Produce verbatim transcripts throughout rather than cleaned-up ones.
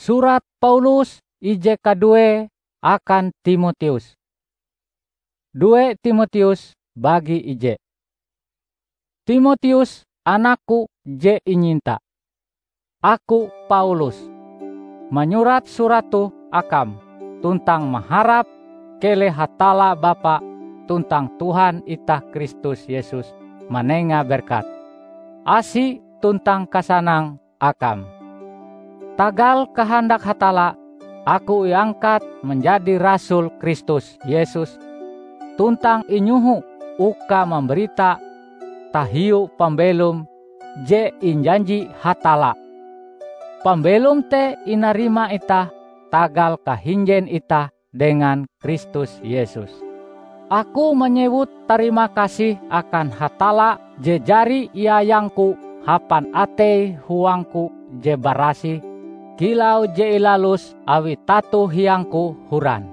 Surat Paulus ije kaduee akan Timoteus. Due Timoteus bagi ije. Timoteus, anakku je inyinta. Aku, Paulus, manyurat surat toh akam, tuntang maharap keleh Hatalla Bapa tuntang Tuhan itah Kristus Yesus manenga berkat, asi tuntang kasanang akam. Tagal kahandak Hatalla, aku iangkat manjadi rasul Kristus Yesus, tuntang inyoho uka mambarita tahiu pambelom je injanji Hatalla. Pambelom te inarima itah tagal kahinjen itah dengan Kristus Yesus. Aku manyewut tarima kasih akan Hatalla je jari iayangku hapan atei huangku je barasih, kilau je ilalus awi tato hiangku horan.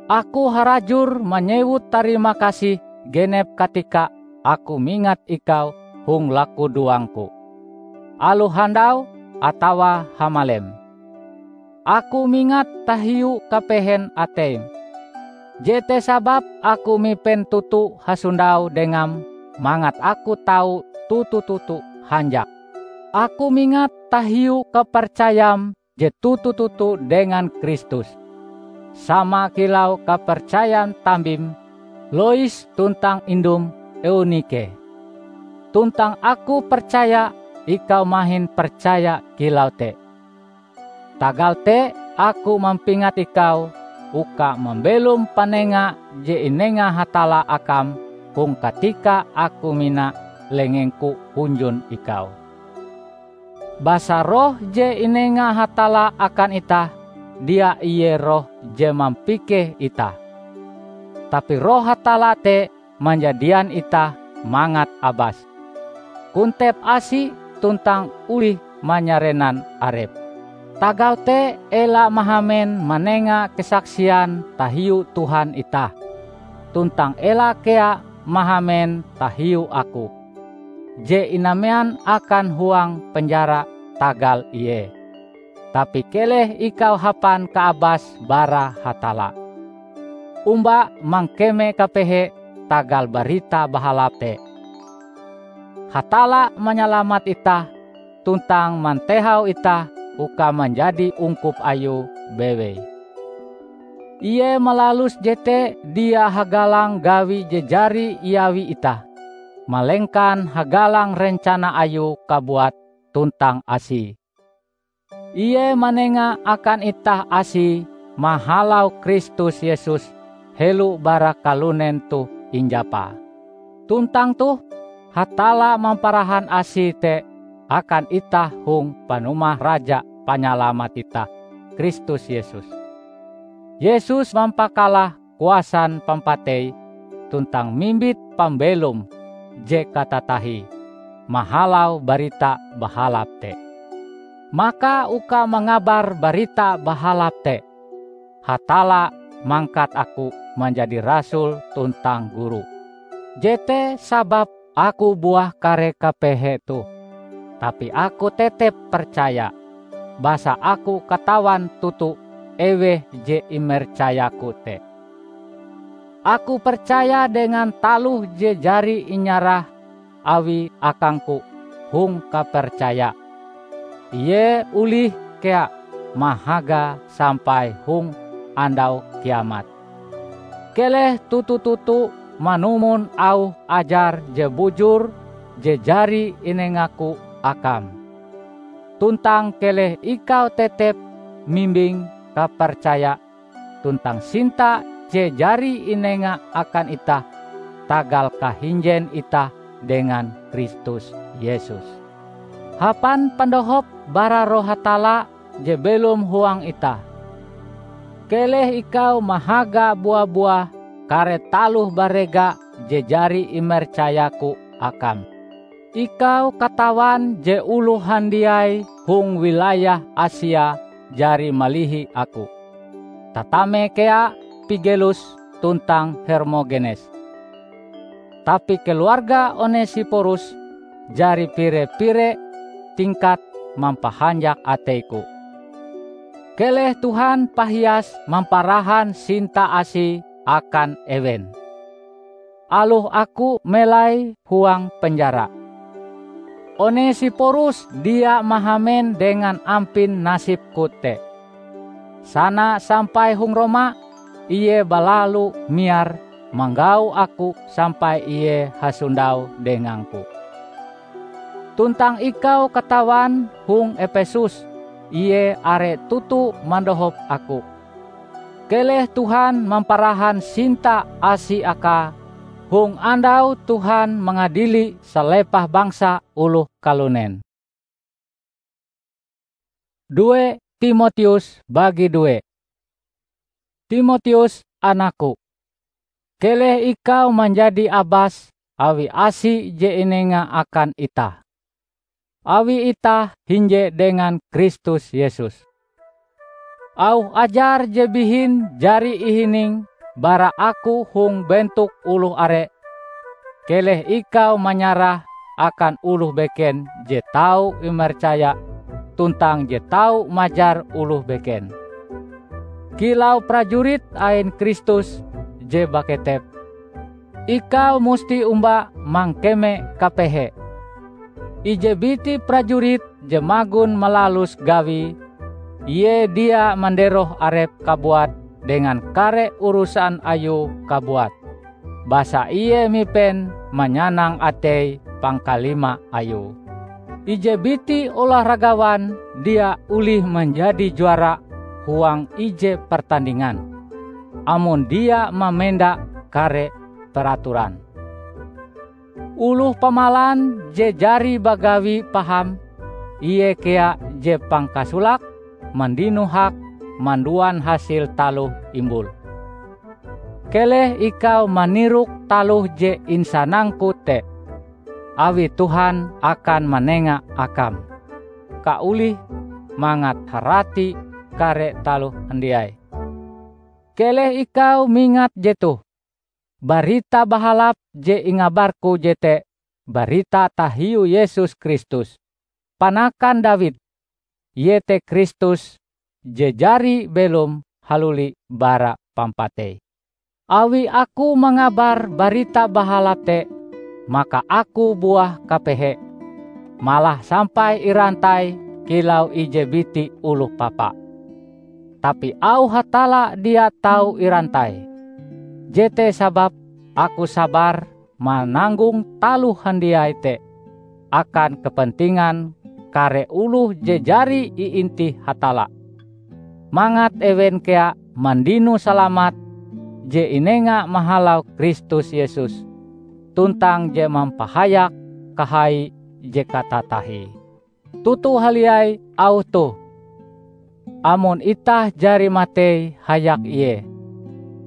Aku harajur manyewut tarima kasih genep katika aku mingat ikau hong lakudoangku, alohandau atawa hamalem. Aku mingat tahiu kapehen ateim. Jete sababe aku mipen toto hasondau dengam mangat aku tau toto-toto hanjak. Aku mingat tahiu kapercayam je toto-toto dengan Kristus, sama kilau kapercayan tambim Lois tuntang indum Eunike. Tuntang aku percaya ikau mahin percaya kilau te. Tagal te aku mampingat ikau uka mambelom panenga je inenga Hatalla akam hong katika aku mina lengengku hunjun ikau. Basa roh je inenga Hatalla akan itah, dia ie roh je mampikeh itah. Tapi Roh Hatalla te manjadian itah mangat abas, kontep asi tuntang olih manyarenan arep. Tagal te ela mahamen manenga kasaksian tahiu Tuhan itah, tuntang ela kea mahamen tahiu aku, je inamean akan huang penjara tagal ie, tapi keleh ikau hapan kaabas bara Hatalla. Omba mangkeme kapehe tagal Barita Bahalap te. Hatalla manyalamat itah tuntang mantehau itah uka manjadi ungkup Ayue bewei. Ie malalus jete dia hagalang gawi je jari iawi itah, malengkan hagalang rencana Ayue kabuat tuntang asie. Ie manenga akan itah asie mahalau Kristus Yesus helo bara kalunen toh injapa. Tuntang toh, Hatalla mamparahan asie te akan itah hong panumah Raja Panyalamat itah, Kristus Yesus. Yesus mampakalah kuasan pampatei tuntang mimbit pambelom je katatahie mahalau Barita Bahalap te. Maka uka mangabar Barita Bahalap te, Hatalla mangkat aku manjadi rasul tuntang guru. Jete sababe aku buah kare kapehe toh, tapi aku tetep percaya, basa aku katawan toto eweh je imercayaku te. Aku percaya dengan taloh je jari inyarah Awie akangku hong kapercaya. Ie olih kea mahagae sampai hong Andau Kiamat. Keleh toto-toto manumon auh ajar je bujur je jari inengaku akam. Tuntang keleh ikau tetep mimbing kapercaya tuntang sinta je jari inenga akan itah tagal kahinjen itah dengan Kristus Yesus. Hapan pandohop bara Roh Hatalla je belom huang itah, keleh ikau mahaga bua-buah kare taloh barega je jari imercayaku akam. Ikau katawan je oloh handiai hong wilayah Asia jari malihi aku, tatame kea Pigelus tuntang Hermogenes. Tapi keluarga Onesiporus jari pire-pire tingkat mampahanjak ateiku. Keleh Tuhan pahias mamparahan sinta-Asie akan ewen, aloh aku melai huang penjara. Onesiporus dia mahamen dengan ampin nasibku te. Sana sampai hong Roma, ie balalu miar manggau aku sampai ie hasondau dengangku. Tuntang ikau katawan hong Epesus, ie are toto mandohop aku. Keleh Tuhan mamparahan sinta-Asie akae hong andau Tuhan mangadili salepah bangsa oloh kalunen. Due Timoteus bagi due. Timoteus anakku, keleh ikau manjadi abas awi asi je inenga akan itah, awi itah hinje dengan Kristus Yesus. Auh ajar je bihin jari ihining bara aku hong bentok oloh are, keleh ikau manyarah akan oloh beken je tau imercaya tuntang je tau majar oloh beken. Kilau prajurit ain Kristus je baketep, ikau musti omba mangkeme kapehe. Ije biti prajurit je magon malalus gawie, ie dia manderoh arepe kabuat dengan kare urusan ayue kabuat, basa ie mipen manyanang atei pangkalima ayue. Ije biti olahragawan dia olih manjadi juara huang ije pertandingan, amon dia mamenda kare peraturan. Oloh pamalan je jari bagawi paham, ie kea je pangkasolake mandino hak manduan hasil taloh imbul. Keleh ikau manirok taloh je insanangku te, awi Tuhan akan manenga akam kaolih mangat harati kare taloh handiai. Keleh ikau mingat jetoh: Barita Bahalap je ingabarku jete barita tahiu Yesus Kristus, panakan Dawid, iete Kristus je jari belom haluli bara pampatei. Awi aku mangabar Barita Bahalap te, maka aku buah kapehe, malah sampai irantai kilau ije biti oloh papa. Tapi auh Hatalla dia tau irantai. Jete sababe aku sabar mananggong taloh handiai te akan kepentingan kare oloh je jari iintih Hatalla, mangat ewen kea mandino salamat je inenga mahalau Kristus Yesus, tuntang je mampahayak kahai je katatahie. Toto haliai auh toh: Amon itah jari matei hayak Ie,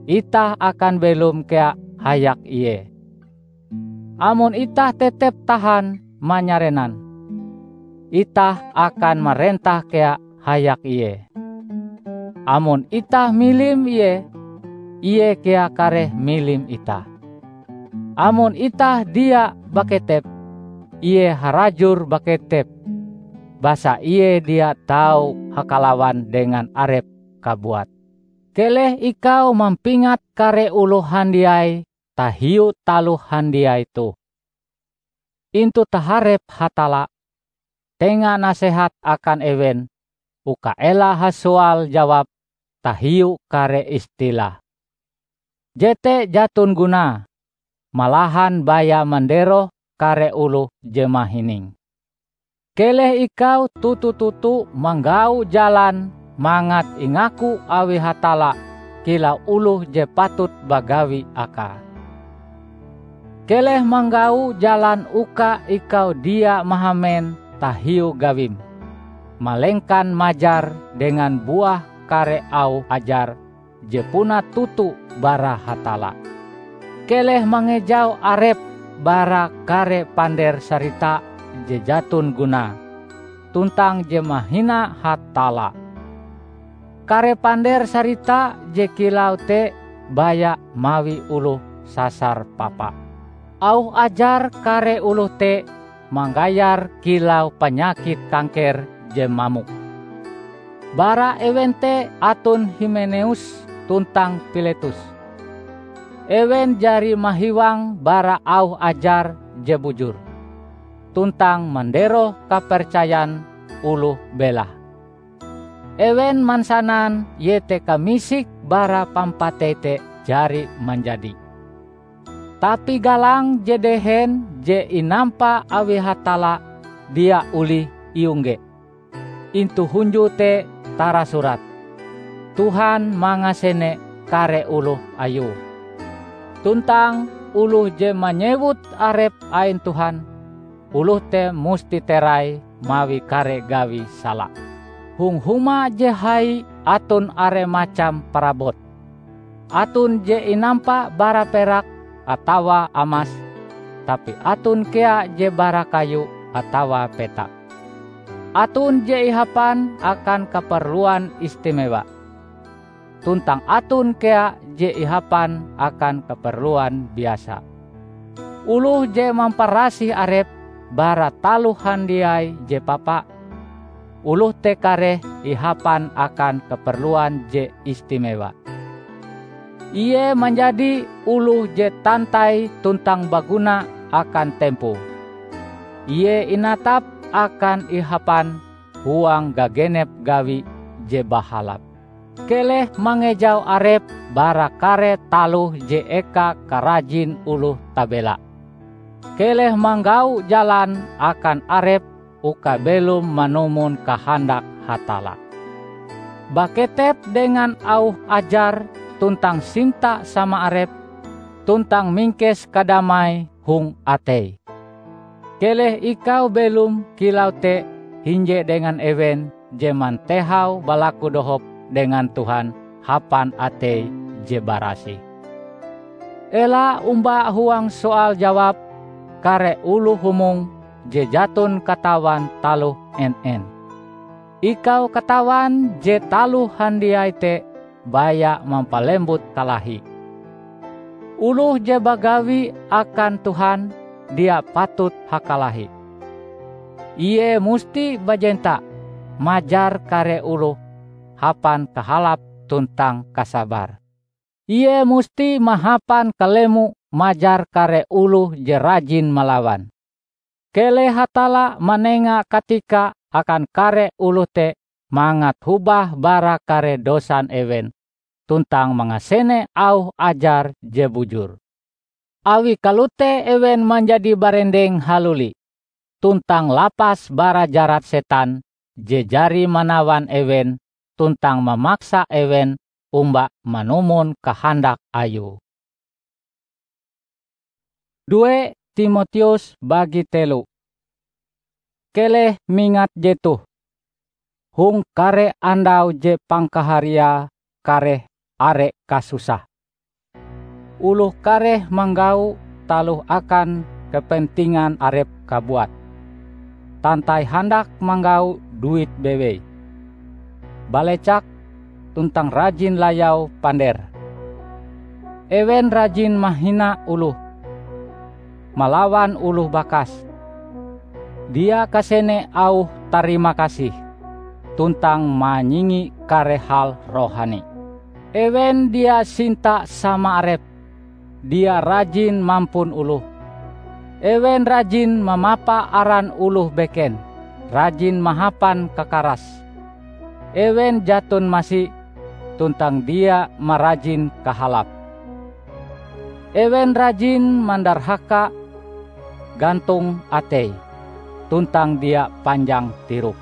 itah akan belom kea hayak Ie. Amon itah tetep tahan manyarenan, itah akan marentah kea hayak Ie. Amon itah milim Ie, Ie kea kareh milim itah. Amon itah dia baketep, Ie harajur baketep, basa Ie dia tau hakalawan dengan Arepe kabuat. Keleh ikau mampingat kare oloh handiai tahiu taloh handiai toh. Intu taharep Hatalla, tenga nasehat akan ewen uka ela hasoal jawab tahiu kare istilah. Jete jaton gunae, malahan baya manderoh kare oloh je mahining. Keleh ikau toto-toto manggau jalan mangat ingaku awi Hatalla kilau oloh je patut bagawi Akae. Keleh manggau jalan uka ikau dia mahamen tahiu gawim, malengkan majar dengan buah kare auh ajar je puna toto bara Hatalla. Keleh mangejau arep bara kare pander sarita je jaton gunae, tuntang je mahina Hatalla. Kare pander sarita je kilau te baya mawi oloh sasar papa. Auh ajar kare oloh te manggayar kilau panyakit kangker je mamok. Bara ewen te aton Himeneus tuntang Piletus. Ewen jari mahiwang bara auh ajar je bujur, tuntang manderoh kapercayan oloh belah. Ewen mansanan iete kamisik bara pampatei te jari manjadi. Tapi galang je dehen je inampa awi Hatalla dia olih iongge. Intu hunjue te tarasurat, "Tuhan mangasene kare oloh Ayue." Tuntang oloh je manyewut arepe ain Tuhan, oloh te musti terai mawi kare gawi sala. Hong huma je hai aton are macam parabot. Aton je inampa bara perak atawa amas, tapi aton kea je bara kayu atawa petak. Aton je ihapan akan kaperluan istimewa, tuntang aton kea je ihapan akan kaperluan biasa. Oloh je mamparasih arepe bara taloh handiai je papa, oloh te kareh ihapan akan kaperluan je istimewa. Ie manjadi oloh je tantai tuntang baguna akan tempoe. Ie inatap akan ihapan huang gagenep gawi je bahalap. Keleh mangejau arep bara kare taloh je eka karajin oloh tabela. Keleh manggau jalan akan arep uka belom manumon kahandak Hatalla. Baketep dengan auh ajar tuntang sinta sama arep, tuntang mingkes kadamai hong atei. Keleh ikau belom kilau te hinje dengan ewen je mantehau balaku dohop dengan Tuhan hapan atei je barasih. Ela omba huang soal jawab kare oloh humong je jaton katawan taloh en-en. Ikau katawan je taloh handiai te baya mampalembut kalahi. Oloh je bagawi akan Tuhan dia patut hakalahi. Ie musti bajenta majar kare oloh hapan kahalap tuntang kasabar. Ie musti mahapan kalemo majar kare oloh je rajin malawan. Keleh Hatalla manenga katika akan kare oloh te mangat hobah bara kare dosan ewen tuntang mangasene auh ajar je bujur. Awi kalote ewen manjadi barendeng haluli tuntang lapas bara jarat setan je jari manawan ewen tuntang mamaksa ewen omba manumon kahandak ayue. Due Timoteus bagi telo. Keleh mingat jetoh, hong kare andau je pangkahariae kareh are kasusah. Oloh kareh manggau taloh akan kepentingan arep kabuat. Tantai handak manggau duit bewei, balecak, tuntang rajin layau pander. Ewen rajin mahina oloh, malawan oloh bakas, dia kasene auh tarima kasih, tuntang manyingi kare hal rohani. Ewen dia sinta sama arep, dia rajin mampun oloh. Ewen rajin mamapa aran oloh beken, rajin mahapan kakaras. Ewen jaton masi tuntang dia marajin kahalap. Ewen rajin mandarhaka, gantong atei, tuntang dia panjang tirok.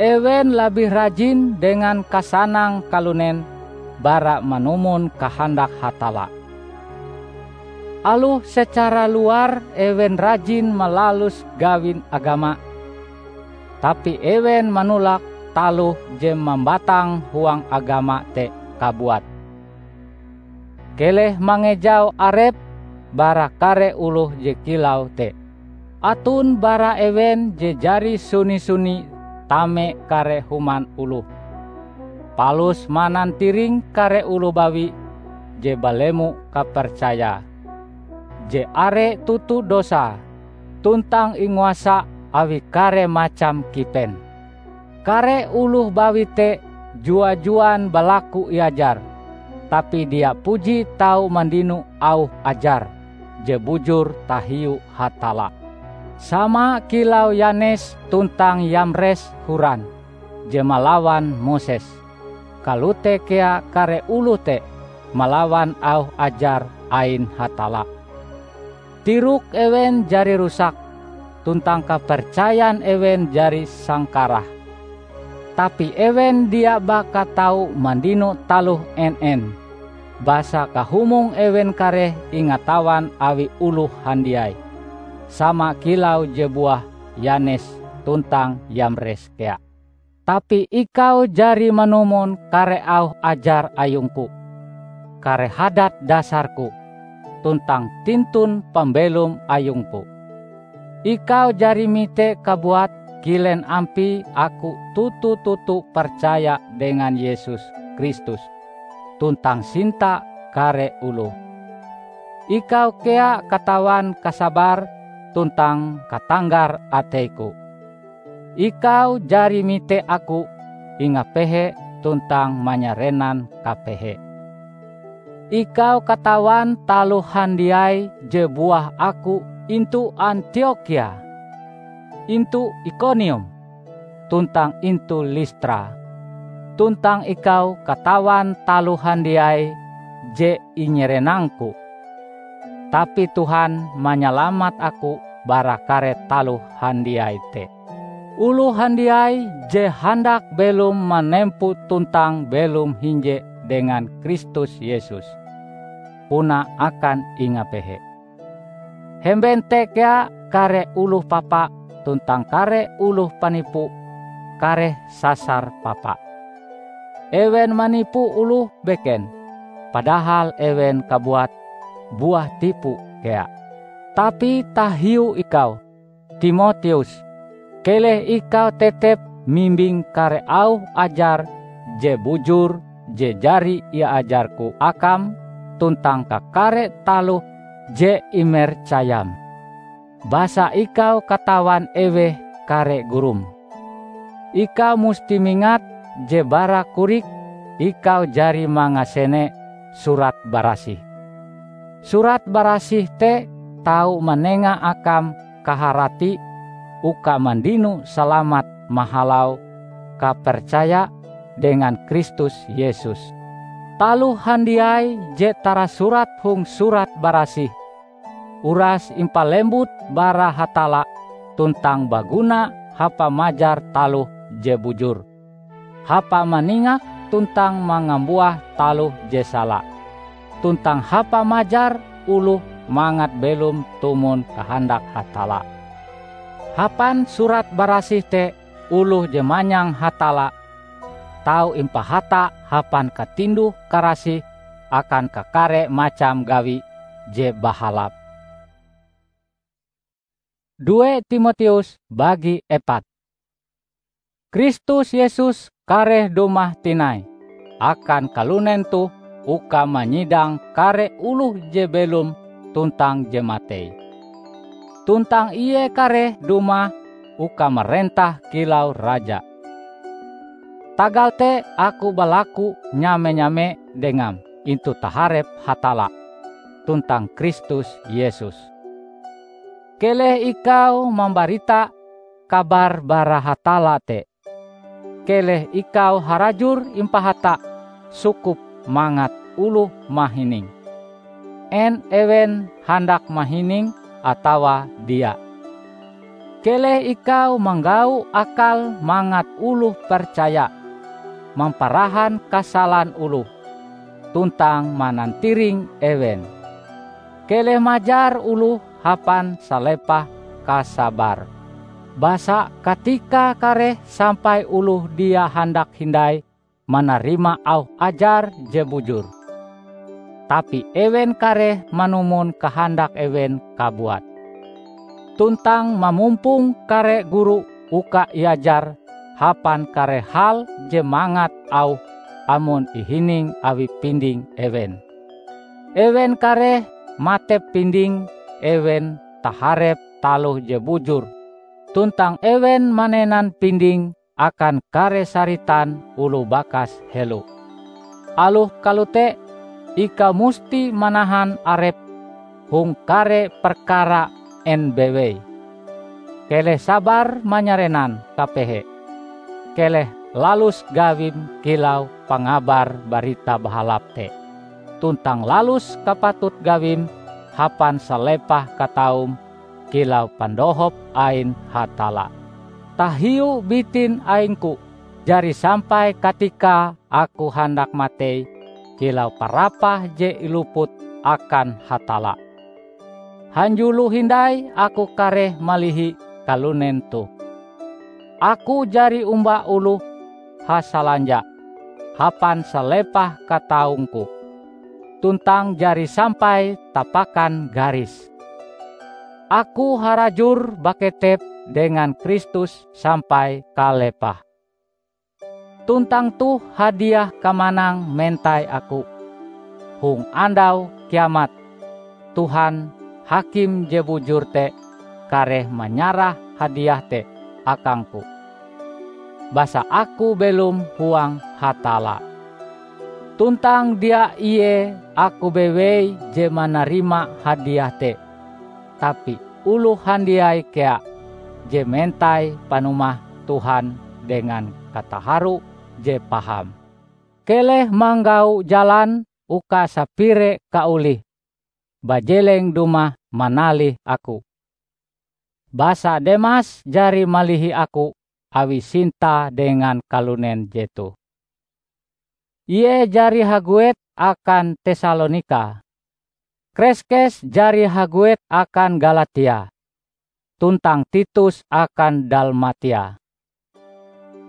Ewen labih rajin dengan kasanang kalunen bara manumon kahandak Hatalla. Aloh secara luar ewen rajin malalus gawin agama, tapi ewen manolak taloh je mambatang huang agama te kabuat. Keleh mangejau arep bara kare oloh je kilau te. Aton bara ewen je jari suni-suni tame kare human oloh, palus manantiring kare oloh bawi je balemo kapercayae, je are toto dosae, tuntang inguasa awi kare macam kipen. Kare oloh bawi te jua-juan balaku iajar, tapi dia puji tau mandino auh ajar je bujur tahiu Hatalla. Sama kilau Yanes tuntang Yamres horan je malawan Moses, kalote kea kare oloh te malawan auh ajar ain Hatalla. Tirok ewen jari rusak, tuntang kapercayan ewen jari sangkarah. Tapi ewen dia baka tau mandino taloh en-en, basa kahumong ewen kareh ingatawan awi oloh handiai, sama kilau je buah Yanes tuntang Yamres kea. Tapi ikau jari manumon kare auh ajar ayungku, kare hadat dasarku, tuntang tintun pambelom ayungku. Ikau jari mite kabuat kilen ampie aku toto-toto percaya dengan Yesus Kristus tuntang sinta kare oloh. Ikau kea katawan kasabar tuntang katanggar ateiku. Ikau jari mite aku ingapehe tuntang manyarenan kapehe. Ikau katawan taloh handiai je buah aku intu Antiokhia, intu Ikonium, tuntang intu Listra. Tuntang ikau katawan taloh handiai je inyarenangku. Tapi Tuhan manyalamat aku bara kare taloh handiai te. Oloh handiai je handak belom manempo tuntang belom hinje dengan Kristus Yesus, puna akan ingapehe. Hemben te kea kare oloh papa tuntang kare oloh panipu kareh sasar papa. Ewen manipu oloh beken, padahal ewen kabuat buah tipu kea. Tapi tahiu ikau, Timoteus, keleh ikau tetep mimbing kare auh ajar je bujur je jari iajarku akam tuntang kakare taloh je imercayam. Basa ikau katawan eweh kare gurum. Ikau musti mingat je bara korik ikau jari mangasene Surat Barasih. Surat Barasih te tau manenga akam kaharati uka mandino salamat mahalau kapercaya dengan Kristus Yesus. Taloh handiai je tarasurat hong Surat Barasih uras impalembut bara Hatalla tuntang baguna hapa majar taloh je bujur, hapa maningak tuntang mangambuah taloh je sala, tuntang hapa majar oloh mangat belom tumon kahandak Hatalla. Hapan Surat Barasih te oloh je manyang Hatalla tau impahata hapan katinduh-karasih akan kakare macam gawi je bahalap. Due Timoteus bagi epat. Kristus Yesus kareh dumah tinai akan kalunen toh uka manyidang kare oloh je belom tuntang je matei. Tuntang Ie kareh dumah uka marentah kilau Raja. Tagal te aku balaku nyame-nyame dengam intu taharep Hatalla tuntang Kristus Yesus. Keleh ikau mambarita kabar bara Hatalla te. Keleh ikau harajur impahata sukup mangat oloh mahining, en ewen handak mahining atawa dia. Keleh ikau manggau akal mangat oloh percaya, mamparahan kasalan oloh, tuntang manantiring ewen. Keleh majar oloh hapan salepah kasabar. Basa katika kareh sampai oloh dia handak hindai manarima auh ajar je bujur, tapi ewen kareh manumon kahandak ewen kabuat. Tuntang mamumpong kare guru uka iajar hapan kare hal je mangat auh amon ihining awi pinding ewen. Ewen kareh matep pinding ewen taharep taloh je bujur, tuntang ewen manenan pinding akan kare saritan oloh bakas helo. Aloh kalote, ikau musti manahan arepm hong kare perkara en bewei. Keleh sabar manyarenan kapehe. Keleh lalus gawim kilau pangabar Barita Bahalap te, tuntang lalus kapatut gawim hapan salepah kataum kilau pandohop ain Hatalla. Tahiu bitin aingku, jari sampai katika aku handak matei kilau parapah je iluput akan Hatalla. Hanjulo hindai aku kareh malihi kalunen toh. Aku jari omba oloh hasalanja hapan salepah kataungku, tuntang jari sampai tapakan garis. Aku harajur baketep dengan Kristus sampai kalepah. Tuntang toh hadiah kamanang mentai aku. Hong andau kiamat, Tuhan, Hakim je bujur te, kareh manyarah hadiah te akangku. Basa aku belom huang Hatalla. Tuntang dia ie aku bewei je manarima hadiah te, tapi oloh handiai kea je mentai panumah Tuhan dengan kataharu je paham. Keleh manggau jalan uka sapire kaolih bajeleng dumah manalih aku. Basa Demas jari malihi aku awi sinta dengan kalunen jetoh. Ie jari haguet akan Tesalonika. Kreskes jari haguet akan Galatia, tuntang Titus akan Dalmatia.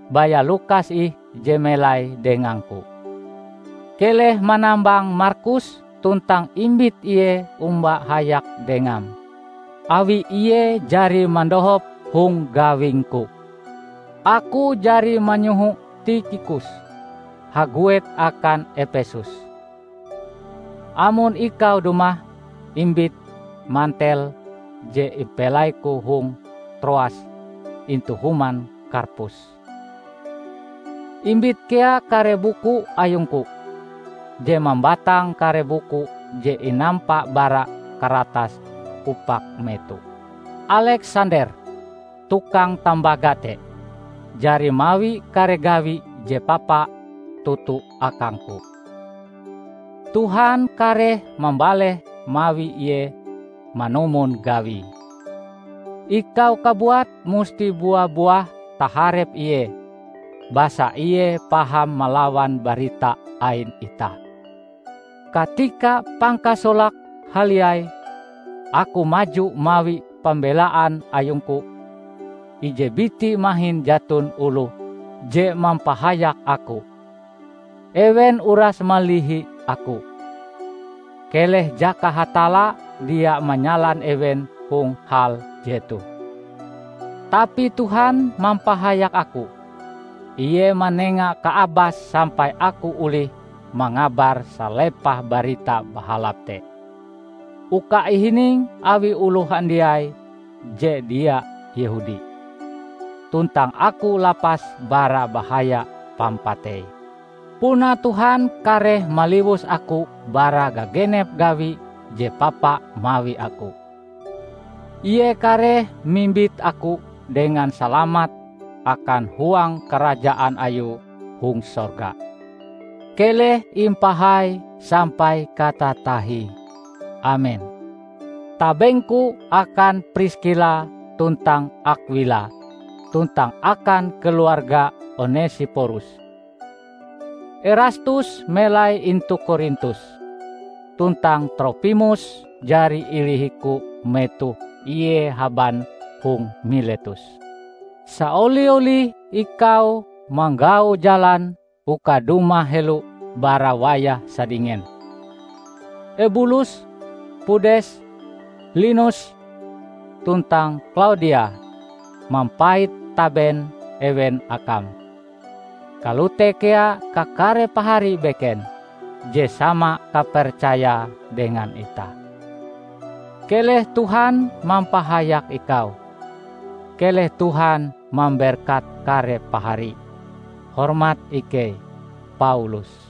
Baya Lukas ih je melai dengangku. Keleh manambang Markus tuntang imbit ie omba hayak dengam, awi ie jari mandohop hong gawingku. Aku jari manyoho Tikhikus haguet akan Epesus. Amon ikau dumah, imbit mantel je impelaiku hong Troas intu human Karpus. Imbit kea kare buku ayungku, je mambatang kare buku je inampa bara karatas upak meto. Aleksander, tukang tambaga te, jari mawi kare gawi je papa toto akangku. Tuhan kareh mambaleh mawi ie manumon gawie. Ikau kabuat musti bua-buah taharep ie, basa ie paham malawan barita ain itah. Katika pangkasolake haliai, aku maju mawi pambelaan ayungku. Ije biti mahin jaton oloh je mampahayak aku. Ewen uras malihi aku. Keleh jaka Hatalla dia manyalan ewen hong hal jetoh. Tapi Tuhan mampahayak aku. Ie manenga kaabas sampai aku olih mangabar salepah Barita Bahalap te, uka ihining awi oloh handiai je dia Yehudi, tuntang aku lapas bara bahaya pampatei. Puna Tuhan kareh maliwus aku bara gagenep gawi je papa mawi aku. Ie kareh mimbit aku dengan salamat akan huang karajaan Ayue hong sorga. Keleh impahai sampai katatahie. Amen. Tabengku akan Priskila tuntang Akwila, tuntang akan keluarga Onesiporus. Erastus melai intu Korintus, tuntang Tropimus jari ilihiku metoh ie haban hong Miletus. Saoli-olih ikau manggau jalan uka dumah helo bara wayah sadingen. Ebulus, Pudes, Linus, tuntang Klaudia mampait taben ewen akam. Kalote kea kakare pahari beken je sama kapercayae dengan itah. Keleh Tuhan mampahayak ikau. Keleh Tuhan mamberkat kare pahari. Hormat ikei, Paulus.